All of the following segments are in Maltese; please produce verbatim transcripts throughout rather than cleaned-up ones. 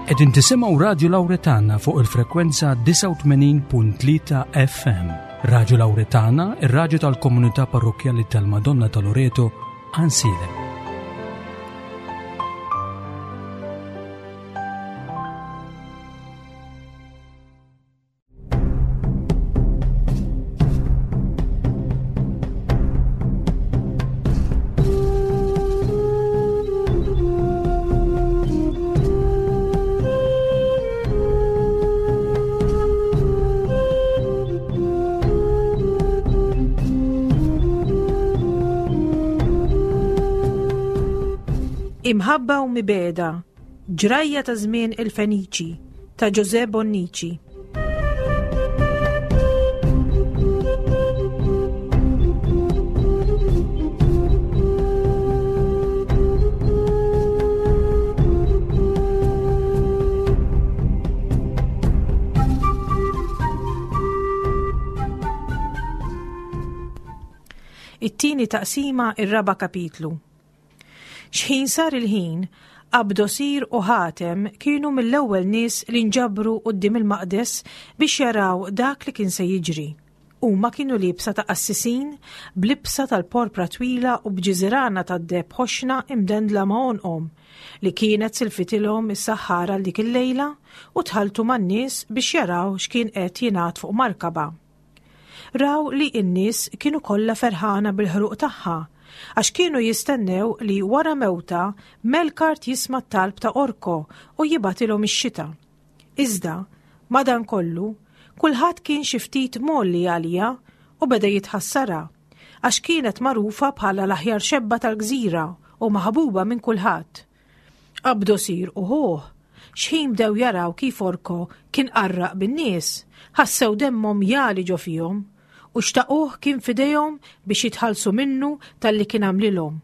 Qegħdin tisimgħu Radju Lawretana fuq il-frekwenza disgħa u tmenin punt tlieta F M. Radju Lawretana, ir-radju tal-Komunità Parrokkjali tal-Madonna ta' Loreto, Għajnsielem. Imħabba u mibegħda, ġrajja ta' żmien il-Feniċi, ta' José Bonnici. It-tieni taqsima, ir-raba' kapitlu. Xħin sar il-ħin, Abdosir u Ħatem kienu mill-ewwel nies li nġabru quddiem il-maqdes biex jaraw dak li kien se jiġri. Huma kienu liebsa ta' qassisin, b'libsa tal-porpra twila u b'ġiżirana tad-deheb ħoxna imdendla ma' għonqhom, li kienet silfitilhom is-saħħara għal dik il-lejla, u tħalltu man-nies biex jaraw x'kien qed jingħad fuq markaba. Raw li n-nies kienu kollha ferħana bil-ħruq tagħha, għax kienu jistennew li wara mewta Melkart jisma' t-talb ta' Orko u jibgħatilhom ix-xita. Iżda, madankollu, kulħadd kien xi ftit molli għalija u beda jitħassara, għax kienet magħrufa bħala l-aħjar xebba tal-gżira u maħbuba minn kulħadd. Abdosir u ħuh, xħin bdew jaraw kif Orko kien qarraq bin-nies, ħassew demmhom jali ġo fihom u xtaquh kien fidejhom biex jitħallsu minnu tal-li kien għamlilhom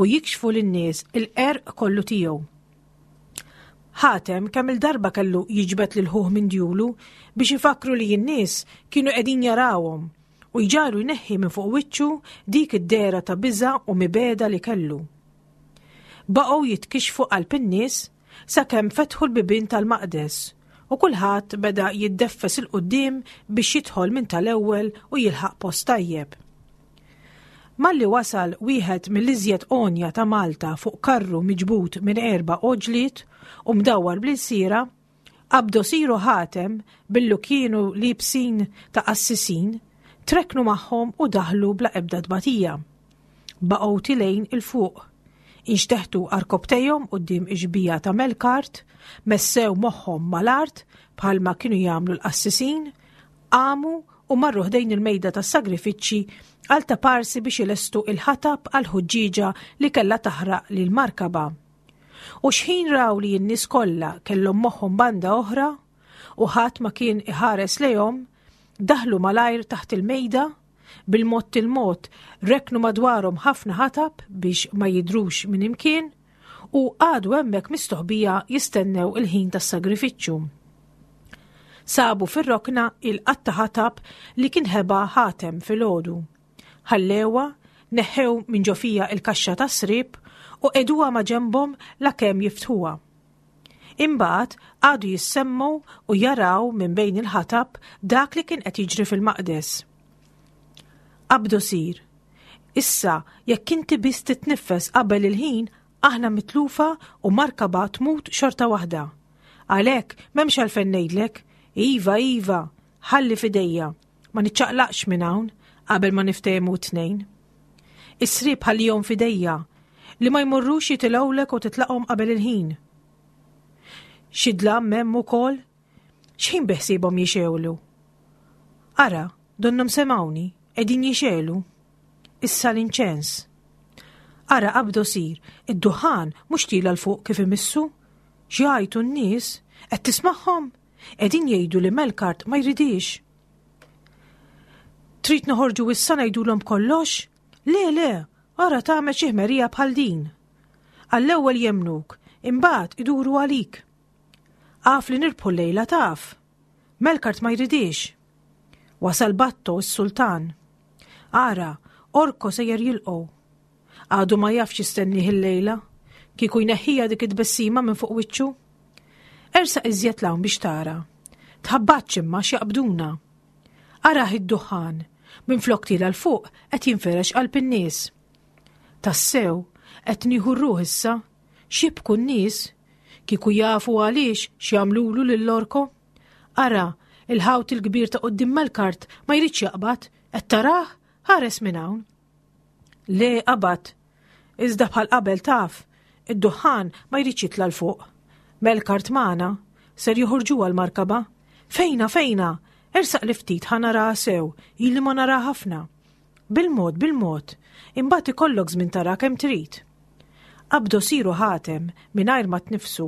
u jikxfu lin-nies il-qerq kollu tiegħu. Ħatem kemm il-darba kellu jiġbed lil ħuh minn djulu biex ifakru li n-nies kienu qegħdin jarawhom u jġaru jneħħi minn fuq wiċċu dik id-dehra ta' biża' u mibegħda li kellu. Baqgħu jitkixxfu qalb in-nies sakemm fetħu l-bibien tal-maqdes u kulħadd beda jiddeffes il-quddiem biex jidħol minn tal-ewwel u jilħaq post tajjeb. Malli wasal wieħed mill-iżjed għonja ta' Malta fuq karru miġbud minn erba' oġliet u mdawwar bl-ilsira, Abdosir u Ħatem billu kienu libsin ta' qassisin, treknu magħhom u daħlu bla ebda tbatija. Baqgħu tilejn il-fuq. Inxteħtu arkobtejhom quddiem ix-xbieha ta' Melkart, messew moħħhom mal-art bħalma kienu jagħmlu l-qassisin, qamu u marru ħdejn il-mejda tas-sagrifiċċji għal ta' parsi biex ilestu il-ħatab għal ħuġġieġa li kellha taħraq lil markaba. U xħin raw li n-nies kollha kellhom moħħhom banda oħra u ħadd ma kien iħares lejhom, daħlu malajr taħt il-mejda, bil-mod il-mod reknu madwarhom ħafna ħatab biex ma jidrux minn imkien u għadu hemmhekk mistoħbija jistennew il-ħin tas-sagrifiċċju. Sabu fir-rokna il-qatta ħatab li kien ħeba Ħatem fil-għodu. Ħallewa, neħħew minn ġo fija il-kaxxa tas-srib u qeduha ma' ġenbhom lakemm jiftħuha. Imbagħad għadu jissemmu u jaraw minn bejn il-ħatab dak li kien qed jiġri fil-maqdes. Abdosir, issa jekk inti biss titniffes qabel il-ħin, aħna mitlufa u markaba tmut xorta waħda. Għalhekk m'hemmx għalfejn ngħidlek, iva, iva, ħalli fidejja, ma niċċaqlaqx minn hawn qabel ma niftehmu t-tnejn. Is-srib ħallihom fidejja li ma jmorrux jitilgħulek u titlaqhom qabel il-ħin. Xi dlam hemm ukoll, x'ħin beħsiebhom jixewlu. Ara, donnhom semgħuni, qegħdin jixelu. Issa l-inċens. Ara Abdosir, id-duħan mhux tila l fuq kif imissu. X'jgħajtu n-nies, qed tismagħhom? Qegħdin jgħidu li Melkart ma jridix. Trid noħorġu issa ngħidulhom kollox? Le, le, ara tagħmel xi ħmerija bħal din. Għall-ewwel jemnuk, imbagħad iduru għalik. Għaf li nirbħu llejla taf. Melkart ma jridix. Wasal Batto s-sultan. Ara, Orko sejjer jilqgħu. Għadu ma jafx jistennieh il-lejla, kieku jneħħija dik it-tbessima minn fuq wiċċu. Ersaq iżjed 'l hawn biex tara. Tħabbatx imma x'jaqbduna. Arah id-duħħan, minflok tiela' 'l fuq qed jinferex qalb in-nies. Tassew, qed nieħu r-ruħ issa, x'jibku n-nies? Kieku jafu għaliex x'jagħmlulu lil Orko? Ara, il-ħawt il-kbir ta' quddiem Melkart ma jridx jaqbad, qed tarah? Ħares minn hawn. Le qabad, iżda bħal qabel taf, id-duħħan ma jridx jitla' 'l fuq. Melkart magħna, ser joħorġuha l-markaba. Fejna, fejna, ersaq li ftit ħa naraha sew, ili ma nara ħafna. Bil-mod, bil-mod, imbagħad ikollok żmien tara kemm trid. Abdosir u Ħatem, mingħajr ma tnifsu,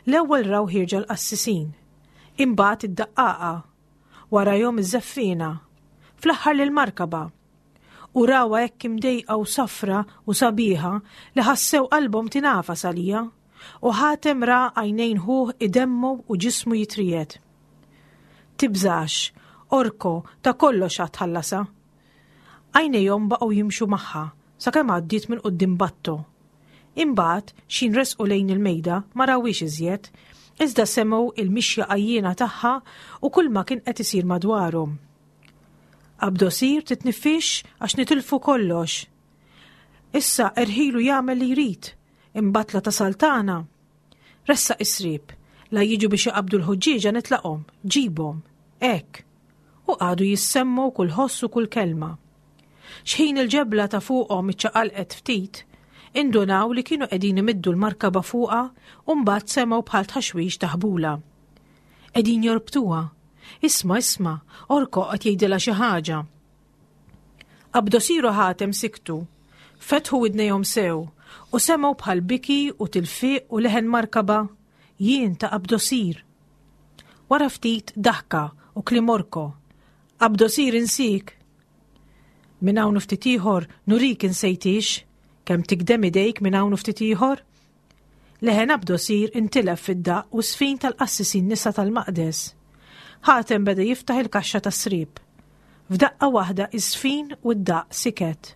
l-ewwel raw ħierġa l-qassisin. Imbagħad id-daqqaqa, warajhom iż-żeffiena, fl-aħħar lill-markaba. U rawha hekk imdejqa u safra u sabiħa li ħassew qalbhom tingħafas għaliha, u Ħatem ra għajnejn ħuh idemmgħu u ġismu jitriegħed. Tibżax, Orko, ta' kollox għad tħallasha. Għajnejhom baqgħu jimxu magħha sakemm għaddiet minn quddiem Batto. Imbagħad x'ħin resqu lejn il-mejda ma rawhiex iżjed, iżda semgħu il-mixja għajjiena tagħha u kulma kien qed isir madwarhom. Abdosir titnifix għax nitilfu kollox. Issa erħilu jagħmel li jrid, imbagħad la tasal tagħna. Ressaq is-sriep, la jiġu biex jaqbdu l-ħuġġieġa nitlaqhom, ġibhom, hekk. U qagħdu jissemmu kull ħoss u kull kelma. Xħin il-ġebla ta' fuqhom iċċaqalqet ftit, indunaw li kienu qegħdin imiddu l-markaba fuqha u mbagħad semgħu bħal tħaxwix ta' ħbula. Qegħdin jorbtuha. Isma', isma', Orko qed jgħidilha xi ħaġa. Abdosir u Ħatem siktu, fetħu widnejhom sew u semgħu bħal biki u tilfiq u leħen markaba, jien ta' Abdosir. Wara ftit daħka u kliem Orko, Abdosir insik. Minn hawn u ftit ieħor nurik insejtix, kemm tikdem idejk minn hawn u ftit ieħor. Leħen Abdosir intilef fid-daqq u sfin tal-qassisin nisa tal-maqdes. Ħatem beda jiftaħ il-kaxxa tas-sriep. F'daqqa waħda iż-żfin u d-daqq siket.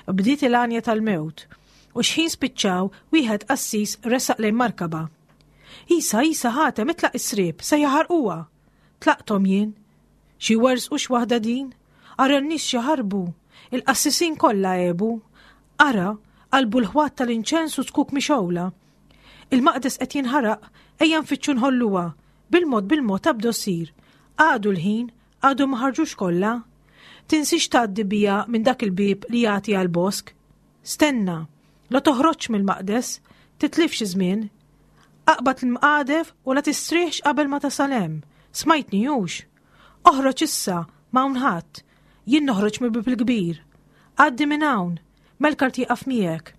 Bdiet il-għanja tal-mewt u xħin spiċċaw wieħed qassis resaq lejn markaba. Isa, isa, Ħatem, itlaq is-sriep, se jaħarquha. Tlaqthom jien. Xi werżqu x'waħda din? Ara n-nies xi ħarbu. Il-qassisin kollha għebu. Ara, qalbu l-ħwat tal-inċens u zkuk mixgħula. Il-maqdes qed jinħaraq, ejja nfittxu nħolluha. Bil-mod bil-mod Abdosir. Għadu l-ħin, għadu ma ħarġux kollha. Tinsiex tgħaddi bija minn dak il-bieb li jagħti għall-bosk. Stenna, la toħroġx mill-maqdes, titlifx żmien. Aqbad l-mqadef u la tistrieħx qabel ma tasal hemm. Smajtni hux. Oħroġ issa, m'hawn ħadd. Jien noħroġ mill-bieb il-kbir. Għaddi minn hawn, Melkart jieqaf miegħek.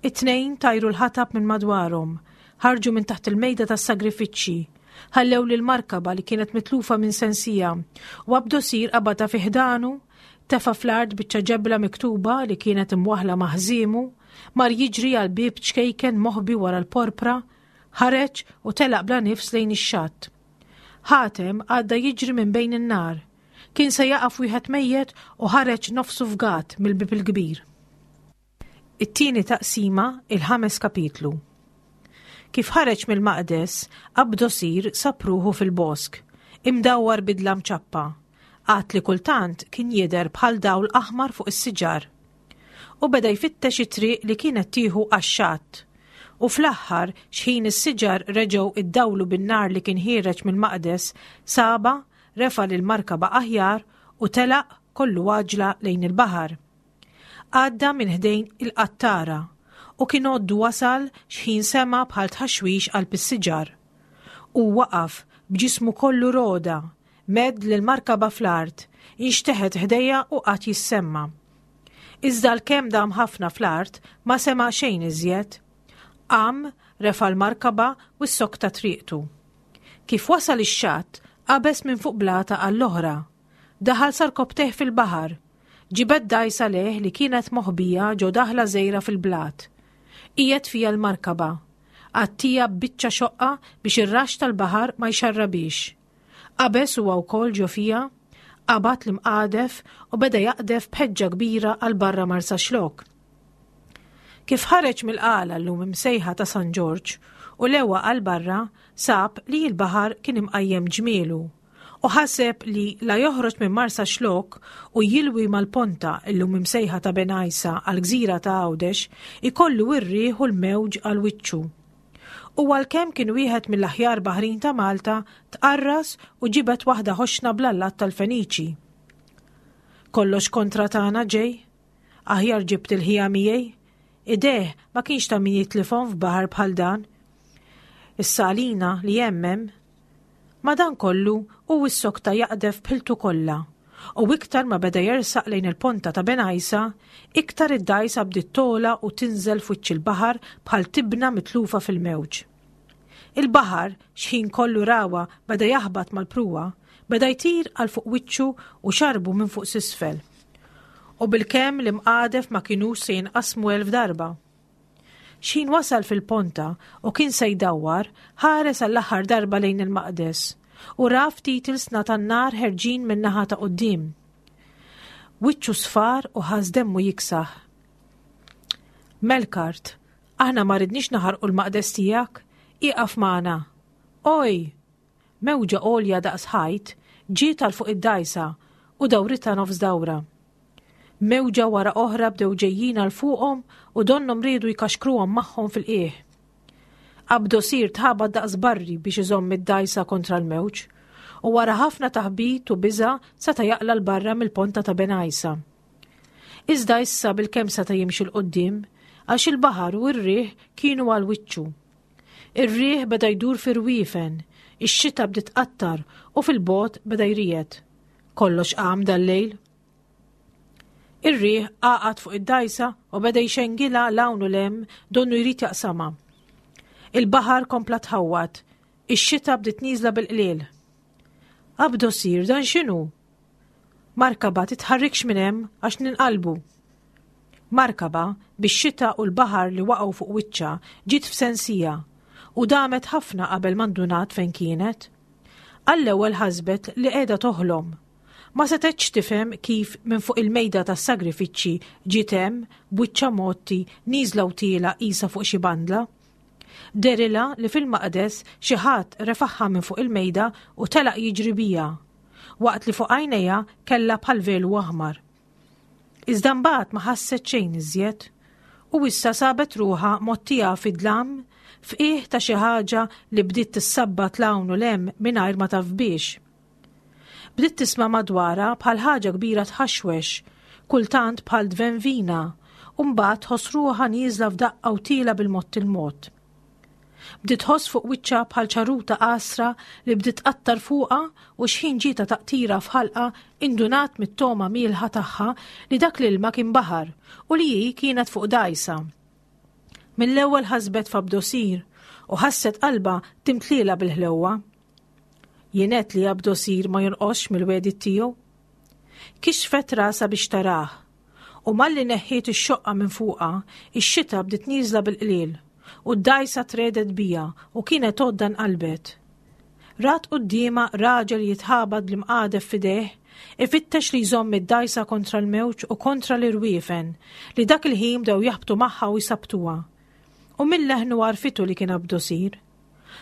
It-tnejn tajru l-ħatab minn madwarhom, ħarġu minn taħt il-mejda tas-sagrifiċċji, ħallew lil markaba li kienet mitlufa minn sensija u Abdosir qabadha fi ħdanu, tefa' fl-art biċċa ġebla miktuba li kienet imwaħħla ma' ħżiemu, mar jiġri għal bieb ċkejken moħbi wara l-porpra, ħareġ u telaq bla nifs lejn ix-xatt. Ħatem għadda jiġri minn bejn in-nar. Kien se jaqa' f'wieħed mejjet u ħareġ nofsu fgat mill-bieb il-kbir. It-tieni taqsima, il-ħames kapitlu. Kif ħareġ mill-maqdes, Abdosir sab ruħu fil-bosk, imdawwar bidla mċappa, għad li kultant kien jidher bħal dawl aħmar fuq is-siġar. U beda jfittex it-triq li kienet tieħu għax-xatt. U fl-aħħar, xħin is-siġar reġgħu iddawlu bin-nar li kien ħiereġ mill-maqdes, saba, refa' lill-markaba aħjar u telaq kollu għaġla lejn il-baħar. Għadda minn ħdejn il-qattara u kien għoddu wasal xħin sema bħal tħaxwix qalb is-siġar. U waqaf b'ġismu kollu roda, medd lill-markaba fl-art, inxteħet ħdejja u qagħad jissemma. Iżda l-kemm dam ħafna fl-art ma sema xejn iżjed. Qam, refa' l-markaba u ssokta triqtu. Kif wasal ix-xatt, qabeż minn fuq blata għall-oħra. Daħal sarkobteh fil-baħar. Ġibed dgħajsa lejh li kienet moħbija ġo daħla żgħira fil-blat. Qiegħed fija l-markaba. Għattija b'biċċa xoqqa biex ir-raxx tal-baħar ma jxarrabix. Qabeż huwa wkoll ġo fija, qabad l-imqadef u beda jaqdef b'ħeġġa kbira għal barra Marsaxlokk. Kif ħareġ mill-qala llum imsejħa ta' San Ġorġ U lewa għal barra sab li l-baħar kien imqajjem ġmielu u ħaseb li la joħroġ minn Marsaxlokk u jilwi mal-ponta illum imsejħa ta' Bengħajsa għal gżira ta' Għawdex ikollu r-riħ u l-mewġ għal wiċċu. U għalkemm kien wieħed mill-aħjar baħrin ta' Malta, tqarras u ġibet waħda ħoxna bl-allat tal-Feniċi. Kollox kontra tagħna ġej? Aħjar ġibt il-ħija miegħi? Ideh ma kienx ta' min jitlifhom f'baħar bħal dan. Issa għalina li jemmem. Madankollu hu issokta jaqdef b'ħiltu kollha u iktar ma beda jersaq lejn il-ponta ta' Bengħajsa, iktar id-dgħajsa bdiet togħla u tinżel f'wiċċ il-baħar bħal tibna mitlufa fil-mewġ. Il-baħar, xħin kollu rawa beda jaħbat mal-pruwa, beda jtir għal fuq wiċċu u xarbu minn fuq s'isfel. U bilkemm l-imqadef ma kinux se jinqasmu elf darba. Xħin wasal fil-ponta u kien se jdawwar, ħares għall-aħħar darba lejn il-maqdes u ra ftit ilsna tan-nar ħerġin min-naħa ta' quddiem. Wiċċu sfar u ħass demmu jiksaħ. Melkart, aħna ma ridniex naħarqu l-maqdes tiegħek, ieqaf magħna. Oj! Mewġa għolja daqs ħajt ġiet għal fuq id-dgħajsa u dawritha nofs dawra. Mewġa wara oħra bdew ġejjin għal fuqhom u donnhom riedu jkaxkruhom magħhom fil-qiegħ. Abdosir tħabat daqs barri biex iżomm id-dgħajsa kontra l-mewġ u wara ħafna taħbit u biża' seta' jaqla' 'l barra mill-ponta ta' Bengħajsa. Iżda issa bilkemm seta' jimxi 'l quddiem għax il-baħar u r-riħ kienu għal wiċċu. Ir-riħ beda jdur fir-rwiefen, ix-xita bdiet tqattar u fil-bogħod beda jriegħed. Kollox qam dal-lejl. Ir-riħ għaqad fuq id-dgħajsa u beda jxengilha 'l hawn u 'l hemm donnu jrid jaqsamha. Il-baħar kompla tħawwad, ix-xita bdiet nieżla bil-qliel. Abdosir, dan x'inhu? Markaba titħarrikx minn hemm għax ninqalbu. Markaba, bix-xita u l-baħar li waqgħu fuq wiċċha, ġiet f'sensija u damet ħafna qabel ma ndunat fejn kienet. Għall-ewwel ħasbet li qiegħda toħlom. Ma setgħetx tifhem kif minn fuq il-mejda tas-sagrifiċċji ġiet hemm b'wiċċha mgħotti nieżla u tiela' qisha fuq xi bandla. Dehrilha li fil-maqdes xi ħadd refagħha minn fuq il-mejda u telaq jiġri biha, waqt li fuq għajnejha kellha bħal velu aħmar. Iżda mbagħad ma ħasset xejn iżjed u issa sabet ruħha mgħottija fid-dlam f'qiegħ ta' xi ħaġa li bdiet tissabbat 'l hawn u 'l hemm mingħajr ma taf biex. Bdiet tisma' madwarha bħal ħaġa kbira tħaxwex, kultant bħal dvenvina, u mbagħad tħoss ruħha nieżla f'daqqa u tiela' bil-mod il-mod. Bdiet tħoss fuq wiċċha bħal ċarruta qasra li bdiet tqattar fuqha u xħin ġietha taqtira f'ħalqha indunat mit-togħma mielħa tagħha li dak l-ilma kien baħar u li hi kienet fuq dgħajsa. Mill-ewwel ħasbet f'Abdosir u ħasset qalbha timtlielha bil-ħlewwa. Jien għedt li Abdosir ma jonqosx mill-wegħdiet tiegħu. Kixfet rasha biex tarah u malli neħħiet ix-xoqqa minn fuqha, ix-xita bdiet nieżla bil-qliel u d-dgħajsa tredet biha u kienet għodda nqalbet. Rat quddiemha raġel jitħabat bl-imqadef f'idejh, ifittex li jżomm id-dgħajsa kontra l-mewġ u kontra l-irwiefen li dak il-ħin bdew jaħbtu magħha u jsabtuha. U minn leħnu għarfitu li kien Abdosir.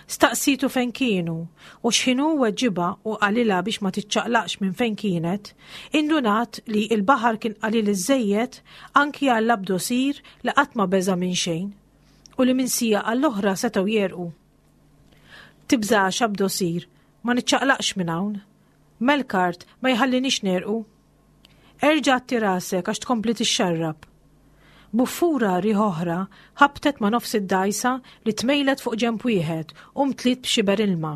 Staqsitu fejn kienu u x'ħin hu weġibha u qalilha biex ma tiċċaqlaqx minn fejn kienet, indunat li l-baħar kien qalil iżżejjed anki għal Abdosir li qatt ma beża' minn xejn u li minn siegħa għall-oħra setgħu jegħrqu. Tibżax Abdosir, ma niċċaqlaqx minn hawn. Melkart ma jħallinix negħrqu. Erġa' għatti rasek għax tkompli tixxarrab. Buffura riħ oħra ħabtet ma' nofs id-dgħajsa li tmejlet fuq ġenb wieħed u mtliet b'xiber ilma.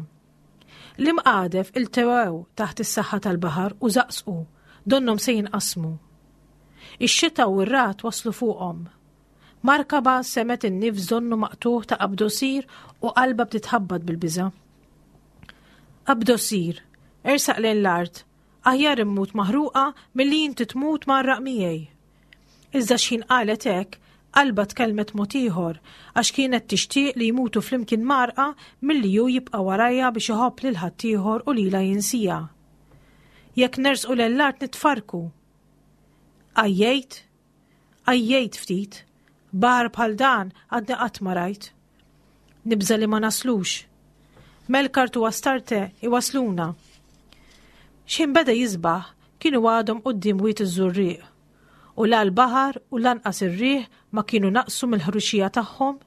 L-imqadef iltewew taħt is-saħħa tal-baħar u żaqżqu, donnhom se jinqasmu. Ix-xita u r-ragħad waslu fuqhom. Markaba semgħet in-nifs donnu maqtugħ ta' Abdosir u qalbha bdiet tħabbat bil-biża'. Abdosir, ersaq lejn l-art, aħjar immut maħruqa milli inti tmut mgħarraq miegħi. Iżda x'ħin qalet hekk, qalbha tkellmet mod ieħor għax kienet tixtieq li jmutu flimkien mgħarrqa milli hu jibqa' warajha biex iħobb lil ħaddieħor u lilha jinsieha. Jekk nersqu lejn l-art nitfarrku. Għajjejt? Għajjejt ftit. Baħar bħal dan għadni qatt ma rajt. Nibża' li ma naslux. Melkart u Astarte iwasluna. X'ħin beda jisbaħ, kienu għadhom quddiem Wied iż-Żurrieq. U la l-baħar u lanqas ir-riħ ma kienu naqsu mill-ħruxija tagħhom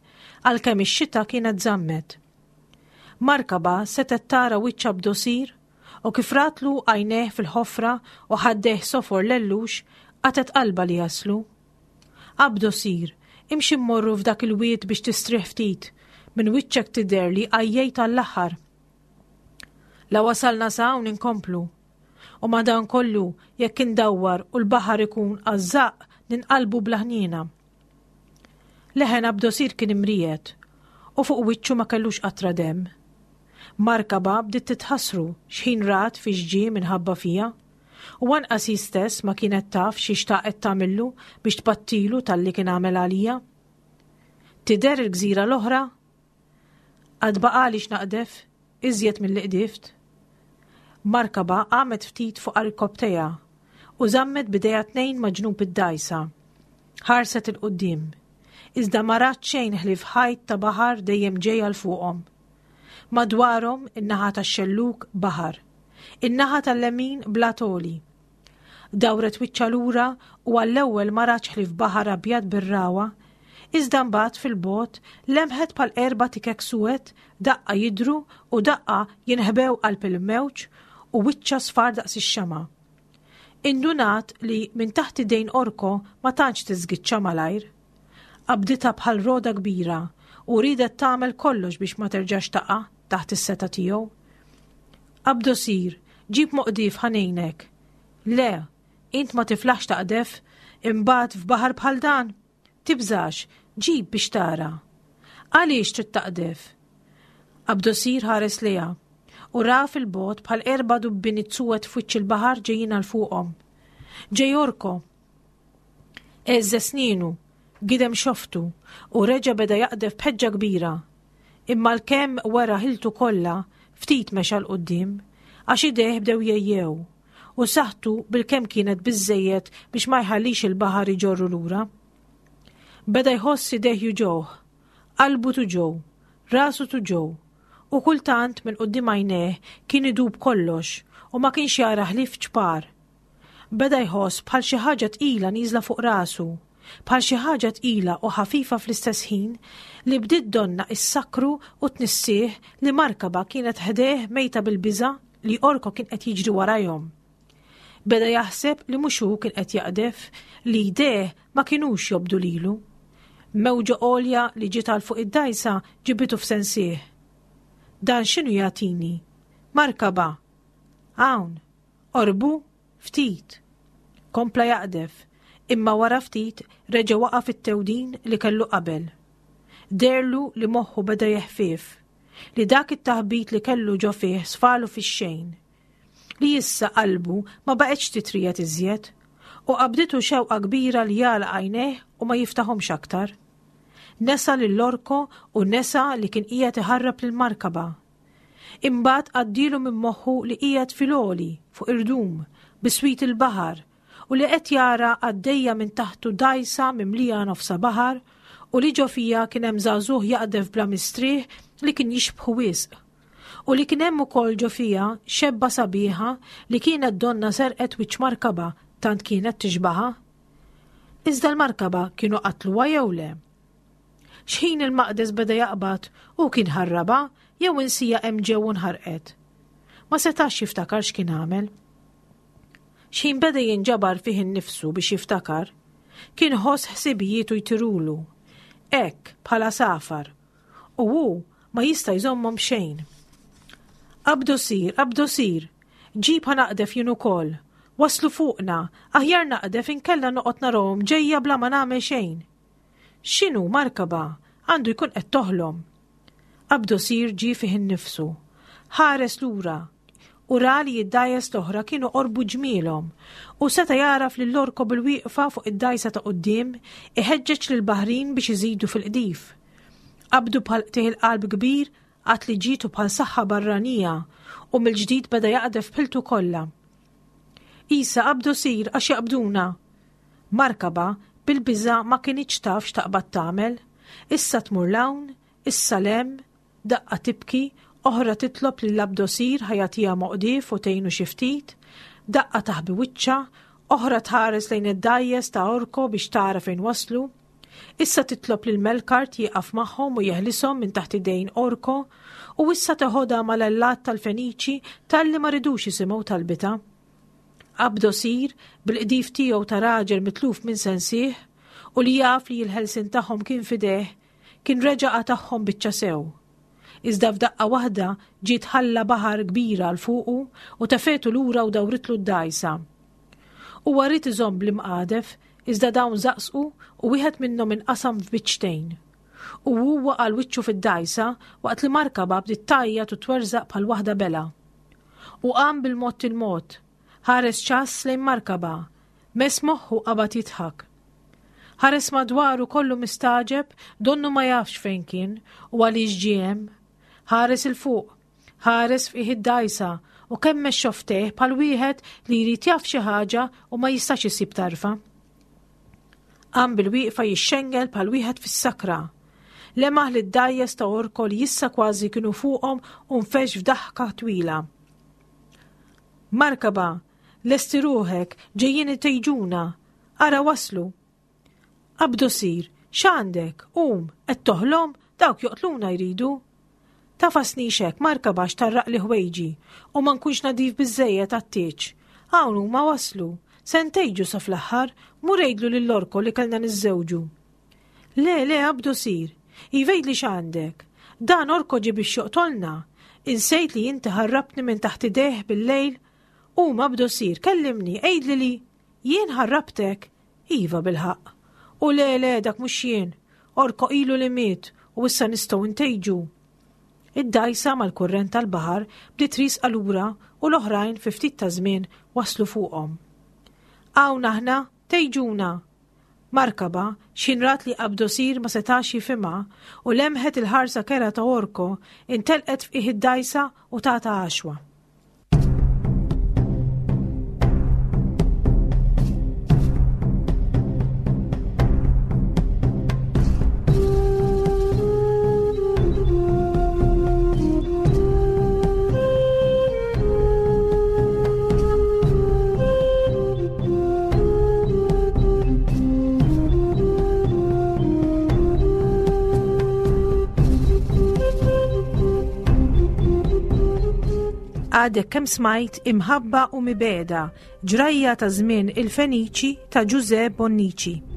għalkemm ix-xita kienet żammet. Markaba setgħet tara wiċċ Abdosir u kif ratlu għajnejh fil-ħofra u ħaddejh sofor lellux qatgħet qalbha li jaslu. Abdosir, imxi mmorru f'dak il-wied biex tistrieħ ftit, minn wiċċek tidher li għajjejt għall-aħħar. La wasalna sa hawn inkomplu. U madankollu jekk indawwar u l-baħar ikun għażżaq ninqalbu bla ħniena. Leħen Abdosir kien imriegħed u fuq wiċċu ma kellux qatra demm. Markaba bdiet titħassru x'ħin rat fiex ġie minħabba fija. U anqas hi stess ma kienet taf xi xtaqet tagħmillu biex tpattilu talli kien għamel għalija. Tidher il-gżira l-oħra? Għad baqali x'naqdef, iżjed milli qdift. Markaba qamet ftit fuq għarkopptejha u żammet b'idejha tnejn ma' ġnub id-dgħajsa. Ħarset 'il quddiem. Iżda ma rat xejn ħlief ħajt ta' baħar dejjem ġej għal fuqhom. Madwarhom in-naħa tax-xellug baħar, in-naħa tal-lemin blat għoli. Dawret wiċċha lura u għall-ewwel ma ratx ħlief baħar abjad bir-ragħwa, iżda mbagħad fil-bogħod lemħet bħal erba' tikek suwed daqqa jidhru u daqqa jinħbew qalb il-mewġ u wiċċha sfar daqs ix-xama'. Indunat li minn taħt idejn Orko ma tantx tiżgiċċa malajr. Qabditha bħal roda kbira u riedet tagħmel kollox biex ma terġax taqa' taħt is-setgħa tiegħu. Abdosir, ġib moqdif ħa ngħinek. Le, int ma tiflaħx taqdef, imbagħad f'baħar bħal dan. Tibżax, ġib biex tara. Għaliex trid taqdef? Abdosir ħares lejha u ra fil-bogħod bħal erba' dubbini suwed f'wiċċ il-baħar ġejjin għal fuqhom. Ġej Orko. Għeżżeż snienu, gidem xoftu u reġa' beda jaqdef b'ħeġġa kbira. Imma għalkemm wera ħiltu kollha, ftit mexa 'l quddiem, għax idejh bdew jgħejjew u saħħtu bilkemm kienet biżżejjed biex ma jħallix il-baħar iġorru lura. Beda jħoss idejh juġgħuh, qalbu tuġgħu, rasu tuġgħu, u kultant minn quddiem għajnejh kien idub kollox u ma kienx jara ħlief ċpar. Beda jħoss bħal xi ħaġa tqila nieżla fuq rasu, bħal xi ħaġa tqila u ħafifa fl-istess ħin li bdiet donnha issakru u tnissih li Markaba kienet ħdejh mejta bil-biża' li Orko kien qed jiġri warajhom. Beda jaħseb li mhux hu kien qed jaqdef, li jdejh ma kinux jobdu lilu. Mewġa għolja li ġiet għal fuq id-dgħajsa ġibitu f'sensih. Dan x'inhu jagħtini? Markaba. Hawn. Qorbu? Ftit. Kompla jaqdef, imma wara ftit reġa' waqa' fit-tewdin li kellu qabel. Deherlu li moħħu beda jeħfief, li dak it-taħbit li kellu ġo fih sfalu fix-xejn. Li issa qalbu ma baqgħetx titriegħed iżjed u qabditu xewqa kbira li jagħlaq għajnejh u ma jiftaħhomx aktar. Nesa lil Orko u nesa li kien qiegħed iħarrab lil Markaba. Imbagħad għaddielu minn moħħu li qiegħed fil-għoli fuq irdum biswit il-baħar u li qed jara għaddejja minn taħtu dgħajsa mimlija nofsa baħar u li ġo fija kien hemm żagħżugħ jaqdef bla mistrieħ li kien jixbħu wisq. U li kien hemm ukoll ġo fija xebba sabiħa li kienet donna serqet wiċċ Markaba tant kienet tixbaha. Iżda l-Markaba kienu qatluha jew le? X'ħin il-maqdes beda jaqbad u kien ħarraba jew insija hemm ġew u nħarqet. Ma setax jiftakar x'kien għamel. X'ħin beda jinġabar fih innifsu biex jiftakar, kien ħoss ħsibijietu jtirulu, hekk bħala safar, u hu ma jista' jżommhom xejn. Abdosir, Abdosir, ġib ħa naqdef jien ukoll. Waslu fuqna, aħjar naqdef inkella noqgħod narahom ġejja bla ma nagħmel xejn. X'inhu Markaba, għandu jkun qed toħlom. Abdosir ġie fih innifsu. Ħares lura u ra li d-dgħajjes l-oħra kienu qorbu ġmielhom u seta' jagħraf lil Orko bil-wieqfa fuq id-dgħajsa ta' quddiem iħeġġeġ lill-baħrin biex iżidu fil-qdif. Qabdu bħal qtigħ il-qalb kbir għad li ġietu bħal saħħa barranija u mill-ġdid beda jaqdef b'ħiltu kollha. Isa Abdosir għax jaqbduna. Markaba bil-biża' ma kinitx taf x'taqbad tagħmel. Issa tmur 'l hawn, issa 'l hemm, Daqqa tibki, oħra titlob lil Abdosir ħa jagħtiha moqdief u tgħinu xi ftit, daqqa taħbi wiċċha, oħra tħares lejn id-dgħajjes ta' Orko biex tara fejn waslu. Issa titlob lil Melkart jieqaf magħhom u jeħlishom minn taħt idejn Orko, u issa teħodha mal-allat tal-Feniċi talli ma ridux jisimgħu talbitha. Abdosir, bil-qdif tiegħu ta' raġel mitluf minn sensih u li jaf li l-ħelsien tagħhom kien f'idejh, kien reġa' qatagħhom biċċa sew. Iżda f'daqqa waħda ġiet ħalla baħar kbira għal fuqu u tefgħetu lura u dawritlu d-dgħajsa. Huwa ried iżomm bl-imqadef, iżda dawn żaqsqu u wieħed minnhom inqasam f'biċċtejn. U huwa għal wiċċu fid-dgħajsa waqt li Markaba bdiet tgħajjat u twerżaq bħal waħda bela. U qam bil-mod il-mod, ħares ċass lejn Markaba, mess moħħu qabad jidħak. Ħares madwaru kollu mistagħġeb, donnu ma jafx fejn kien u għaliex ġie hemm. Ħares 'il fuq, ħares f'qiegħ id-dgħajsa u kemmex xofftejh bħal wieħed li jrid jaf xi ħaġa u ma jistax isib tarfa. Qam bil-wieqfa jixxengel bħal wieħed fis-sakra. Lemaħ li d-dgħajjes ta' Orko li issa kważi kienu fuqhom u nfexx f'daħka twila. Markaba, lesti ruħek, ġejjin itejġuna, ara waslu. Abdosir, x'għandek? Qum, qed toħlom, dawk joqtluna jridu. Tafasnix hekk, Markaba, x'tarraqli ħwejġi u ma nkunx nadif biżżejjed għat-tieġ. Hawn huma waslu, se ntejġu sa fl-aħħar, mur għidlu lil Orko li kellna niżżewġu. Le, le, Abdosir, iva għidli x'għandek. Dan Orko ġie biex joqtolna. Insejt li inti ħarrabtni minn taħt idejh bil-lejl. Qum, Abdosir, kellimni, għidli li jien ħarrabtek. Iva bil-ħaqq. U le, le, dak mhux jien. Orko ilu li miet u issa nistgħu ntejġu. Id-dgħajsa mal-kurrent tal-baħar bdiet riesqa lura u l-oħrajn fi ftit ta' żmien waslu fuqhom. Hawn aħna, tejġuna. Markaba, x'ħin rat li Abdosir ma setax jifhimha u lemħet il-ħarsa kera ta' Orko, intelqet f'qiegħ id-dgħajsa u tata għaxwa. Għadek kemm smajt Imħabba u Mibegħda, ġrajja ta' żmien il-Feniċi ta' Ġużè Bonnici.